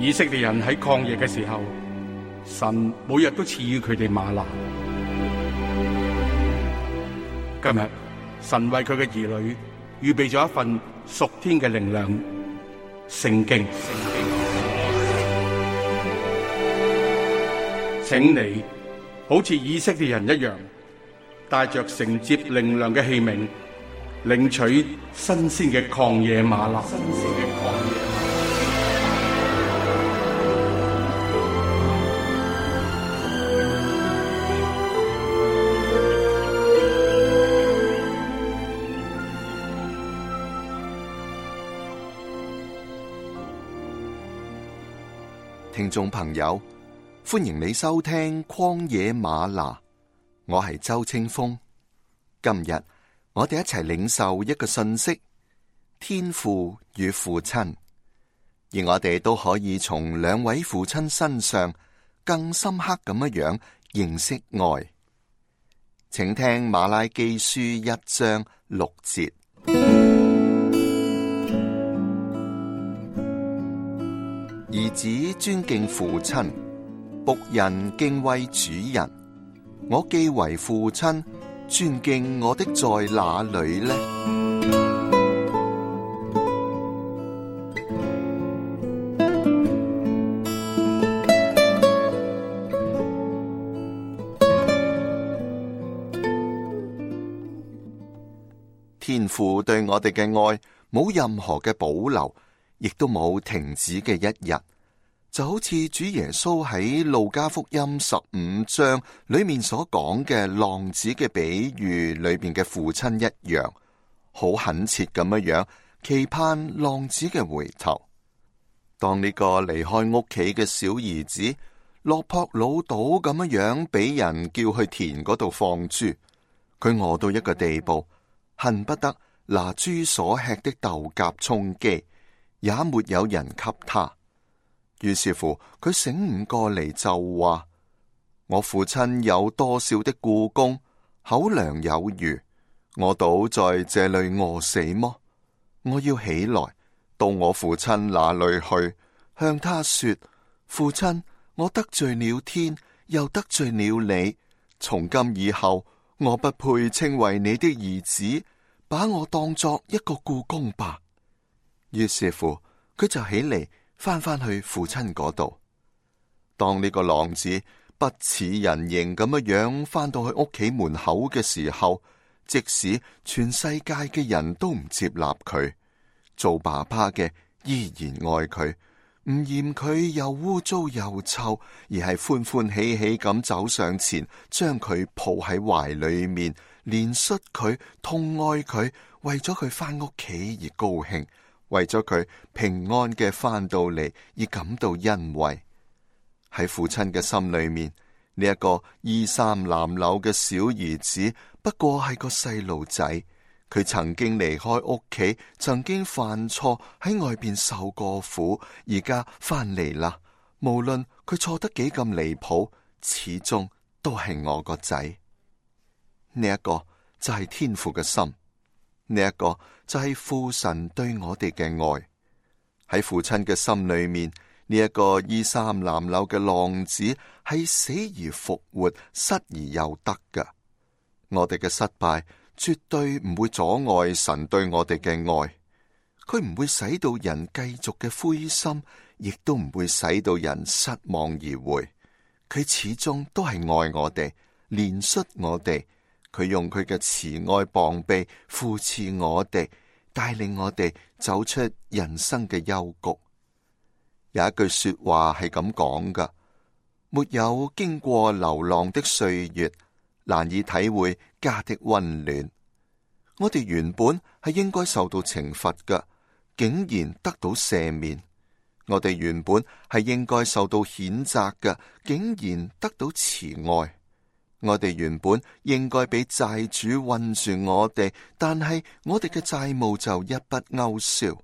以色列人喺曠野嘅時候，神每日都賜予佢哋嗎哪。今日神為佢嘅兒女預備咗一份屬天嘅靈糧——聖經。請你好似以色列人一樣，帶着承接靈糧嘅器皿，領取新鮮嘅曠野嗎哪。聽眾朋友，歡迎你收聽曠野嗎哪，我係周清風。今日我哋一齊領受一個信息：天父與父親，而我哋都可以從兩位父親身上更深刻咁樣認識愛。請聽馬拉基書1章6節。兒子尊敬父親，僕人敬畏主人。我既為父親，尊敬我的在哪裏呢？天父對我哋嘅愛冇任何嘅保留，亦都冇停止嘅一日，就好似主耶穌喺路加福音15章裏面所講嘅浪子嘅比喻裏面嘅父親一樣，好懇切咁樣期盼浪子嘅回頭。當呢個離開屋企嘅小兒子落魄潦倒咁樣俾人叫去田嗰度放豬，佢餓到一個地步，恨不得拿豬所吃的豆莢充飢，也沒有人給他。於是乎，佢醒悟過嚟就話：我父親有多少的雇工，口糧有餘，我倒在這裏餓死麼？我要起來到我父親那裏去，向他說：父親，我得罪了天，又得罪了你。從今以後，我不配稱為你的兒子，把我當作一個雇工吧。於是乎，佢就起嚟翻去父親嗰度。當呢個浪子不似人形咁樣翻到去屋企門口嘅時候，即使全世界嘅人都唔接納佢，做爸爸嘅依然愛佢，唔嫌佢又污糟又臭，而係歡歡喜喜咁走上前，將佢抱喺懷裏面，憐恤佢，痛愛佢，為咗佢翻屋企而高興，為咗佢平安嘅翻到嚟而感到欣慰。喺父親嘅心裏面，呢一個衣衫襤褸嘅小兒子不過係個細路仔，佢曾經離開屋企，曾經犯錯，喺外邊受過苦，而家翻嚟啦。無論佢錯得幾咁離譜，始終都係我個仔。呢一個就係天父嘅心，呢一個就係父神對我哋嘅愛。喺父親嘅心裏面，呢一個衣衫襤褸嘅浪子係死而復活，失而又得㗎。我哋嘅失敗絕對唔會阻礙神對我哋嘅愛，佢唔會使到人繼續嘅灰心，亦都唔會使到人失望而回。佢始終都係愛我哋，憐恤我哋。佢用佢嘅慈愛膀臂扶持我哋，帶領我哋走出人生嘅幽谷。有一句說話係咁講噶：沒有經過流浪的歲月，難以體會家的溫暖。我哋原本係應該受到懲罰噶，竟然得到赦免；我哋原本係應該受到譴責噶，竟然得到慈愛。我哋原本應該俾債主困住我哋，但係我哋嘅債務就一筆勾銷。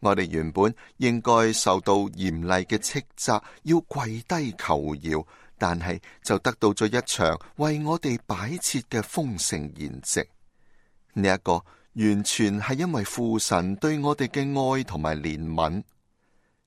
我哋原本應該受到嚴厲嘅斥責，要跪低求饒，但係就得到咗一場為我哋擺設嘅豐盛筵席。呢一個完全係因為父神對我哋嘅愛同埋憐憫。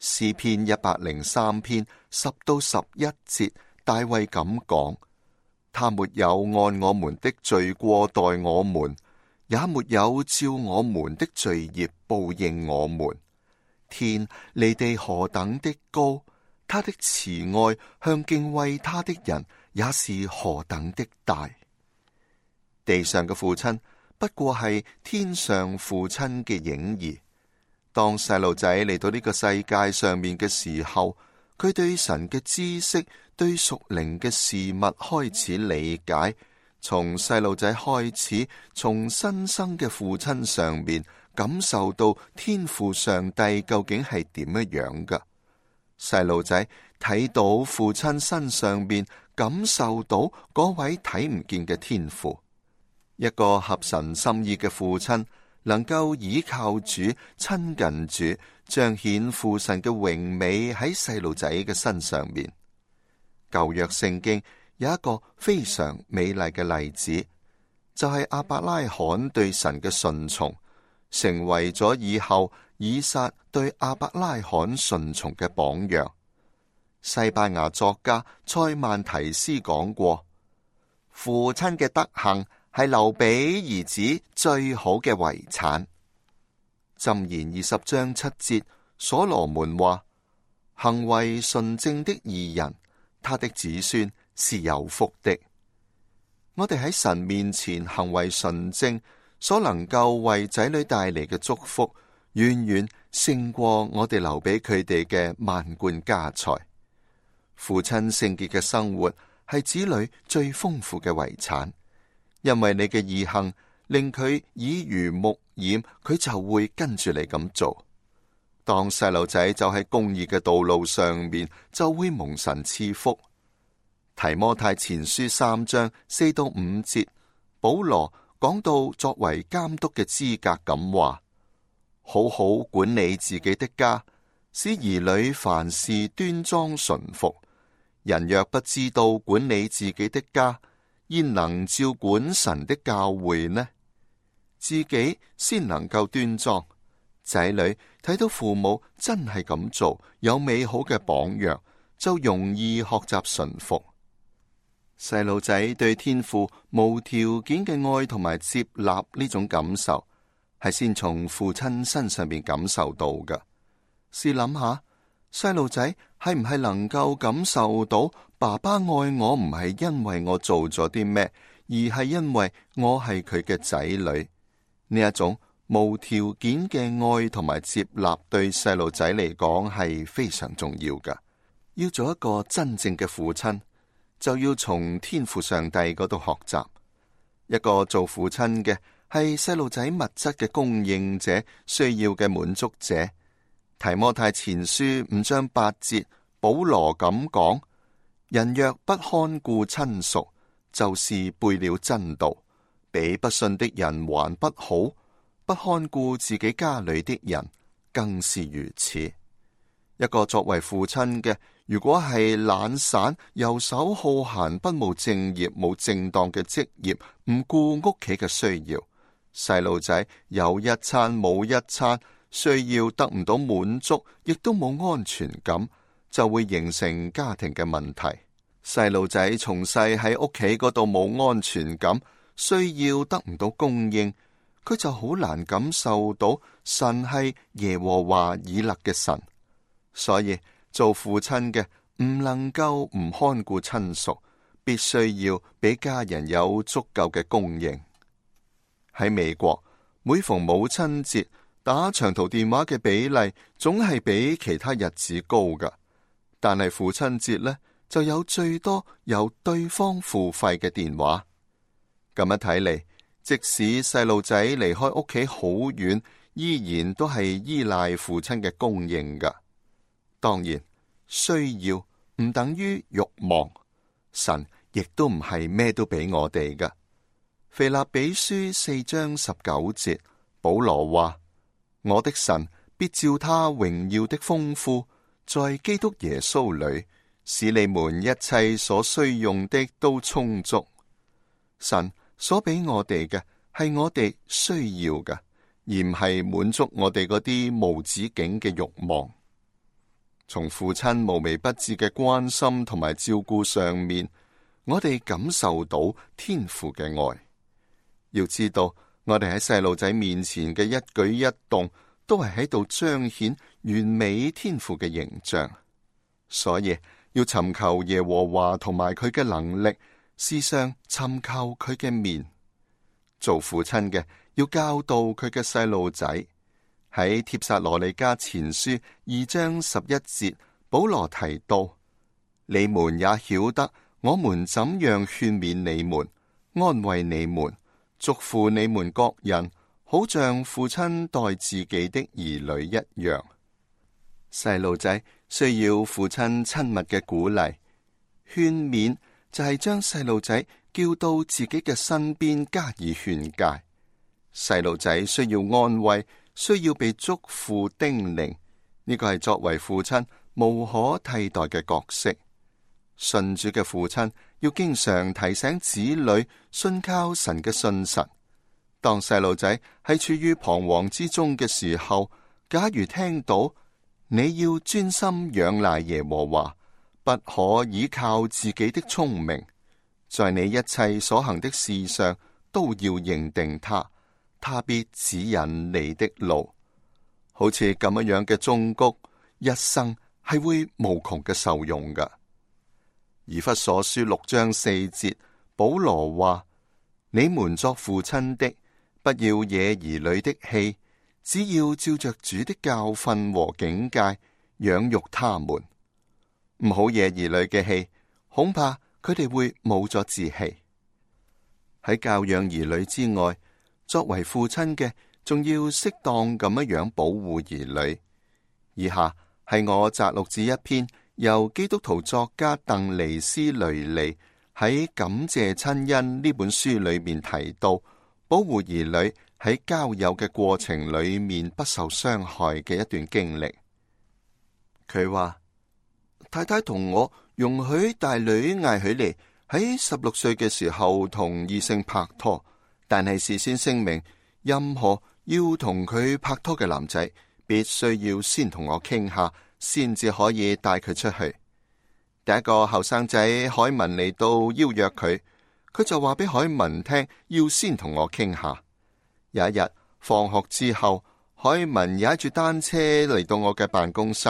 詩篇103篇10到11節，大衛咁講：他沒有按我們的罪過待我們，也沒有照我們的罪孽報應我們。天離地何等的高，他的慈愛向敬畏他的人也是何等的大。地上嘅父親不過係天上父親嘅影兒。當細路仔嚟到呢個世界上面嘅時候，佢對神嘅知識、對屬靈嘅事物開始理解。從細路仔開始，從新生嘅父親上面感受到天父上帝究竟係點樣噶。細路仔睇到父親身上面感受到嗰位睇唔見嘅天父。一個合神心意嘅父親，能夠倚靠主、親近主，彰顯父神嘅榮美喺細路仔嘅身上面。舊約聖經有一個非常美麗嘅例子，就係亞伯拉罕對神嘅順從，成為咗以後以撒對亞伯拉罕順從嘅榜樣。西班牙作家塞曼提斯講過：父親嘅德行係留俾兒子最好嘅遺產。箴言20章7節，所羅門話：行為純正的義人，他的子孫是有福的。我哋喺神面前行為純正，所能夠為仔女帶嚟嘅祝福，遠遠勝過我哋留俾佢哋嘅萬貫家財。父親聖潔嘅生活係子女最豐富嘅遺產。因為你嘅義行令佢耳濡目染，佢就會跟住你咁做。當細路仔就喺公義嘅道路上面，就會蒙神賜福。提摩太前書3章4到5節，保羅講到作為監督嘅資格咁話：好好管理自己的家，使兒女凡事端莊順服。人若不知道管理自己的家，焉能照管神的教會呢？自己先能夠端莊，仔女睇到父母真係咁做，有美好嘅榜樣，就容易學習順服。細路仔對天父無條件嘅愛同埋接納呢種感受，係先從父親身上邊感受到㗎。試諗下，細路仔係唔係能夠感受到爸爸愛我唔係因為我做咗啲咩，而係因為我係佢嘅仔女？呢一種無條件嘅愛同埋接納，對細路仔嚟講係非常重要㗎。要做一個真正嘅父親，就要從天父上帝嗰度學習。一個做父親嘅係細路仔物質嘅供應者，需要嘅滿足者。提摩太前書5章8節，保羅咁講：人若不看顧親屬，就是背了真道，比不信的人還不好。不看顧自己家裏的人，更是如此。一個作為父親嘅，如果係懶散、遊手好閒、不務正業、冇正當嘅職業，唔顧屋企嘅需要，細路仔有一餐冇一餐，需要得唔到滿足，亦都冇安全感，就會形成家庭嘅問題。細路仔從細喺屋企嗰度冇安全感，需要得唔到供應，佢就好難感受到神係耶和華以勒嘅神。所以做父親嘅唔能夠唔看顧親屬，必須要俾家人有足夠嘅供應。喺美國，每逢母親節，打長途電話嘅比例總係比其他日子高噶，但係父親節呢，就有最多由對方付費嘅電話。咁樣睇嚟，即使細路仔離開屋企好遠，依然都係依賴父親嘅供應噶。當然，需要唔等於慾望，神亦都唔係咩都俾我哋噶。腓立比書4章19節，保羅話：我的神必照他榮耀的豐富，在基督耶穌裏，使你們一切所需用的都充足。神所俾我哋嘅係我哋需要嘅，而唔係滿足我哋嗰啲無止境嘅慾望。從父親無微不至嘅關心同埋照顧上面，我哋感受到天父嘅愛。要知道，我哋喺細路仔面前嘅一舉一動，都係喺度彰顯完美天父嘅形象。所以要尋求耶和華同埋佢嘅能力，時常尋求佢嘅面。做父親嘅要教導佢嘅細路仔。喺帖撒羅尼迦前書2章11節，保羅提到：你們也曉得我們怎樣勸勉你們、安慰你們、囑咐你們各人，好像父親待自己的兒女一樣。細路仔需要父親親密嘅鼓勵、勸勉，就係將細路仔叫到自己嘅身邊加以勸誡。細路仔需要安慰，需要被囑咐叮嚀，呢個係作為父親無可替代嘅角色。信主嘅父親要經常提醒子女信靠神嘅信實。當細路仔喺處於彷徨之中嘅時候，假如聽到你要專心仰賴耶和華，不可倚靠自己的聰明，在你一切所行的事上都要認定他必指引你的路。好似咁樣嘅忠告，一生係會無窮嘅受用噶。以弗所書6章4節，保羅話：你們作父親的，不要惹兒女的氣，只要照着主的教訓和警戒養育他們。唔好惹兒女嘅氣，恐怕佢哋會冇咗志氣。喺教養兒女之外，作為父親嘅，仲要適當咁樣保護兒女。以下係我摘錄自一篇由基督徒作家鄧尼斯雷利喺《感謝親恩》呢本書裏面提到，保護兒女喺交友嘅過程裏面不受傷害嘅一段經歷。佢話：太太同我容許大女艾許莉喺16歲嘅時候同異性拍拖。但係事先聲明，任何要同佢拍拖嘅男仔，必須要先同我傾下，先至可以帶佢出去。第一個後生仔海文嚟到邀約佢，佢就話俾海文聽，要先同我傾下。有一日放學之後，海文踩住單車嚟到我嘅辦公室，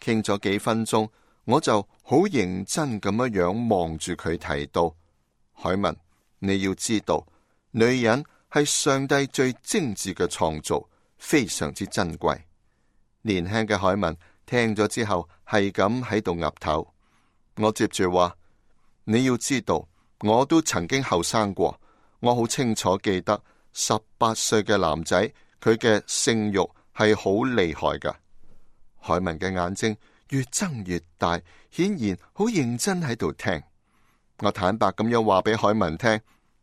傾咗幾分鐘，我就好認真咁樣望住佢，提到：海文，你要知道，女人係上帝最精緻嘅創造，非常之珍貴。年輕嘅海文聽咗之後，係咁喺度岌頭。我接住話：你要知道，我都曾經後生過，我好清楚記得18歲嘅男仔，佢嘅性慾係好厲害噶。海文嘅眼睛越睜越大，顯然好認真喺度聽。我坦白咁樣話俾海文聽。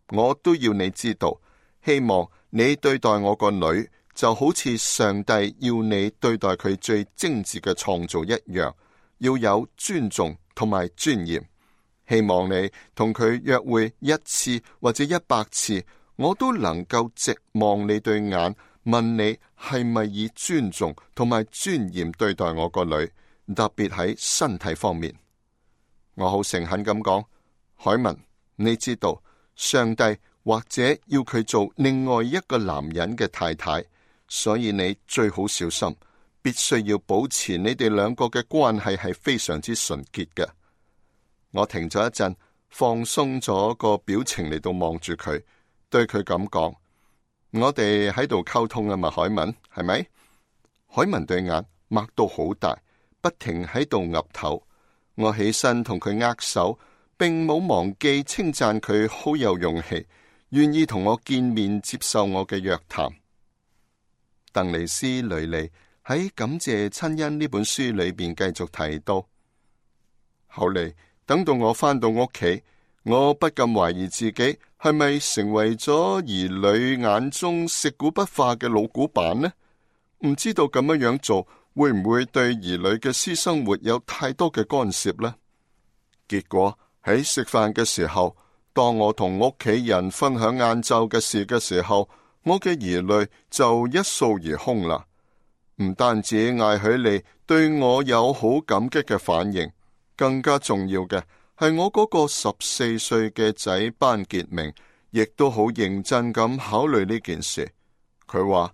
我都要你知道，希望你對待我個女就好似上帝要你對待佢最精緻嘅創造一樣，要有尊重同埋尊嚴。希望你同佢約會1次或者100次，我都能夠直望你對眼，問你係咪以尊重同埋尊嚴對待我個女，特別喺身體方面。我好誠懇咁講，海文，你知道，上帝或者要佢做另外一個男人嘅太太，所以你最好小心，必須要保持你哋兩個嘅關係係非常之純潔嘅。我停咗一陣，放鬆咗個表情嚟到望住佢，對佢咁講：我哋喺度溝通啊嘛，海文，係咪？海文對眼擘到好大，不停喺度岌頭。我起身同佢握手，並冇忘記稱讚佢好有勇氣，願意同我見面接受我嘅約談。鄧尼斯雷利喺《感謝親恩》呢本書裏邊繼續提到，後嚟等到我返到屋企，我不禁懷疑自己係咪成為咗兒女眼中食古不化嘅老古板呢？唔知道咁樣做會唔會對兒女嘅私生活有太多嘅干涉呢？結果喺食飯嘅時候，當我同屋企人分享晏晝嘅事嘅時候，我嘅疑慮就一掃而空啦。唔單止嗌起嚟對我有好感激嘅反應，更加重要嘅係我嗰個14歲嘅仔班傑明，亦都好認真咁考慮呢件事。佢話：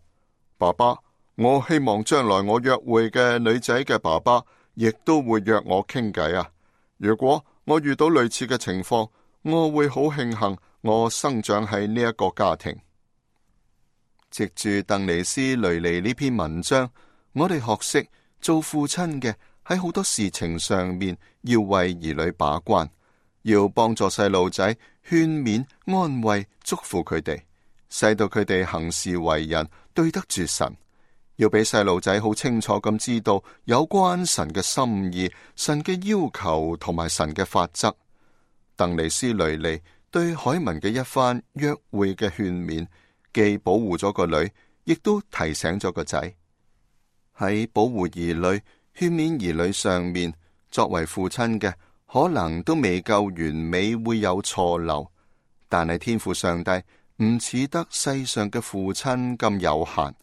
爸爸，我希望將來我約會嘅女仔嘅爸爸，亦都會約我傾偈啊！如果我遇到類似嘅情況，我會好慶幸我生長喺呢一個家庭。藉住鄧尼斯雷尼呢篇文章，我哋學識做父親嘅喺好多事情上面要為兒女把關，要幫助細路仔勸勉、安慰、祝福佢哋，使到佢哋行事為人對得住神。要俾細路仔好清楚咁知道有關神嘅心意、神嘅要求同埋神嘅法則。鄧尼斯雷尼對海文嘅一番約會嘅勸勉，既保護咗個女，亦都提醒咗個仔。喺保護兒女、勸勉兒女上面，作為父親嘅可能都未夠完美，會有錯漏。但係天父上帝唔似得世上嘅父親咁有限，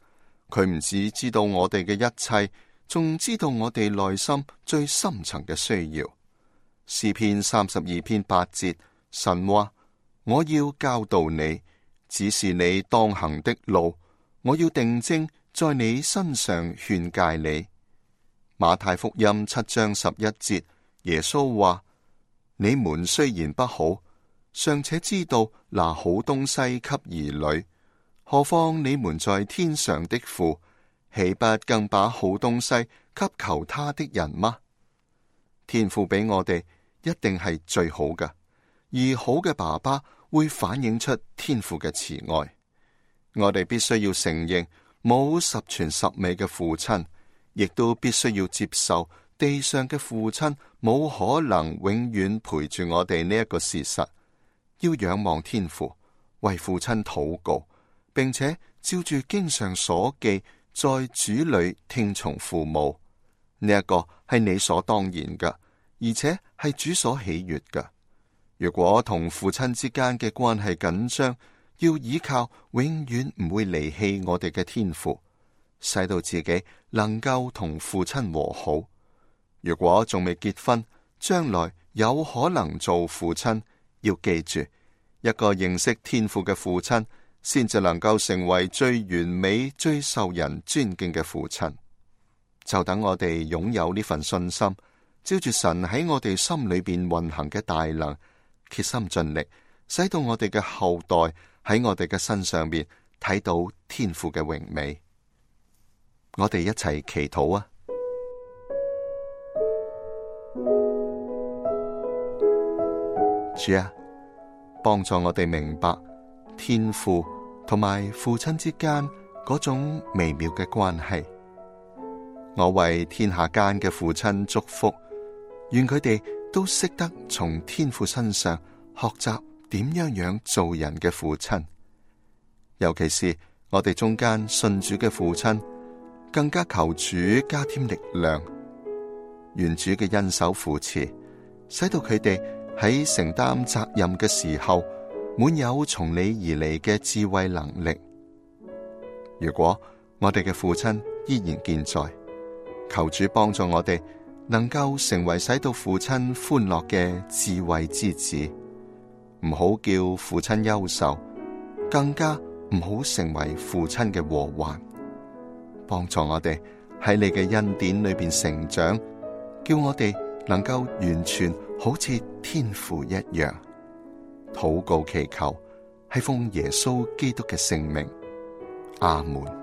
佢唔只知道我哋嘅一切，仲知道我哋內心最深層嘅需要。詩篇32篇8節，神話：我要教導你，指示你當行的路，我要定睛在你身上勸誡你。馬太福音7章11節，耶穌話：你們雖然不好，尚且知道拿好東西給兒女，何況你們在天上的父，豈不更把好東西給求他的人嗎？天父俾我哋一定係最好嘅，而好嘅爸爸會反映出天父嘅慈愛。我哋必須要承認冇十全十美嘅父親，亦都必須要接受地上嘅父親冇可能永遠陪住我哋呢一個事實。要仰望天父，為父親禱告，並且照住經上所記，在主裏聽從父母。呢一個係理所當然嘅，而且係主所喜悅嘅。如果同父親之間嘅關係緊張，要依靠永遠唔會離棄我哋嘅天父，使到自己能夠同父親和好。如果仲未結婚，將來有可能做父親，要記住，一個認識天父嘅父親，先至能夠成為最完美、最受人尊敬嘅父親。就等我哋擁有呢份信心，照住神喺我哋心裏邊運行嘅大能，竭心盡力，使到我哋嘅後代喺我哋嘅身上邊睇到天父嘅榮美。我哋一齊祈禱啊！主啊，幫助我哋明白天父同埋父親之間嗰種微妙嘅關係。我為天下間嘅父親祝福，願佢哋都識得從天父身上學習點樣做人嘅父親。尤其是我哋中間信主嘅父親，更加求主加添力量，願主嘅恩手扶持，使到佢哋喺承擔責任嘅時候，滿有從你而嚟嘅智慧能力。如果我哋嘅父親依然健在，求主幫助我哋，能夠成為使到父親歡樂嘅智慧之子，唔好叫父親憂愁，更加唔好成為父親嘅禍患。幫助我哋喺你嘅恩典裏邊成長，叫我哋能夠完全好似天父一樣。禱告祈求，係奉耶穌基督嘅聖名，阿門。